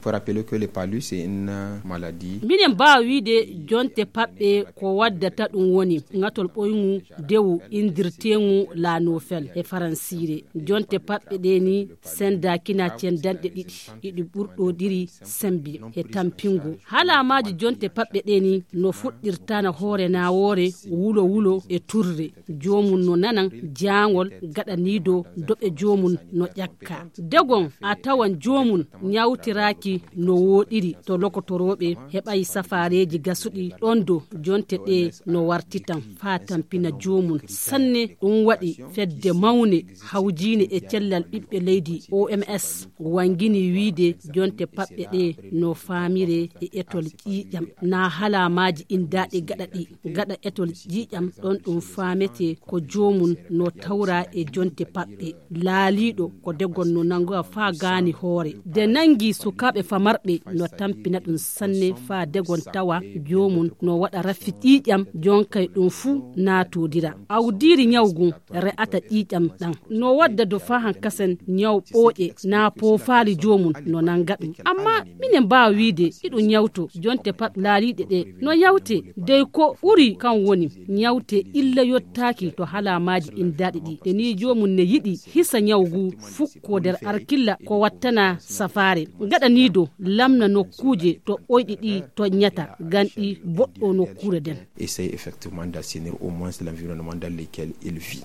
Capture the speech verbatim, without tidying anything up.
Faut rappeler que le palu, c'est une maladie. Minen mbaawa wiide jonte paɓɓe ko waddata ɗum woni ŋatol ɓoyngu dewu indirteengu la nofel e faransiire. Jonte paɓɓe ɗe ni senda kina cendanɗe ɗiɗi, iɗi ɓurɗodiri sembi e tampingo. Haalamaaji jonte paɓɓe ɗe ni no fuɗɗirtana hoore nawoore, wulo wulo e turre. Joomum no nanan jaangol gaɗaniido doɓe joomum no ƴakka. Degon a tawan joomum ñawtiraaki no wooɗiri to lokotorooɓe heɓay safaareeji gasuɗi ɗon do jonte ɗe no wartitan faa tampina joomum sanne. Ɗum waɗi fedde mawne hawjiine e cellal ɓiɓɓe leydi O M S wangini wiide jonte paɓɓe ɗe no faamire e etol ƴiiƴam na halaamaaji indaaɗi gaɗa ɗi. Gaɗa etol ƴiiƴam ɗon ɗum faamete ko joomum no tawra e jonte paɓɓe. Laaliiɗo ko degon no nangoya faa gaani hoore. De nangi sukaaɓe famarɓe no tampina ɗum sanne faa degon tawa joomum no waɗa rafi ƴiiƴam jonkay ɗum fuu naatodira. Awdiiri ñawgu re'ata ƴiiƴam ɗan. No wadda do faa hankasen ñaw ɓooƴe naa poofaali joomum no nanga ɗum. Amma minen mbaawa wiide iɗum ñawto jonte paɓɓe laaliiɗe ɗe no yawte dey ko ɓuri kan woni ñawte illa yottaaki to halaamaaji indaaɗi ɗi. Te ni joomum ne yiɗi hisa ñawgu fukko nder arkilla ko wattana safaare. Gaɗaniido lamna nokkuuje to ɓoyɗi ɗi toññata gan ɗi boɗɗo nokkuure nden. Essaye effectivement d'assainir au moins l'environnement dans lequel il vit.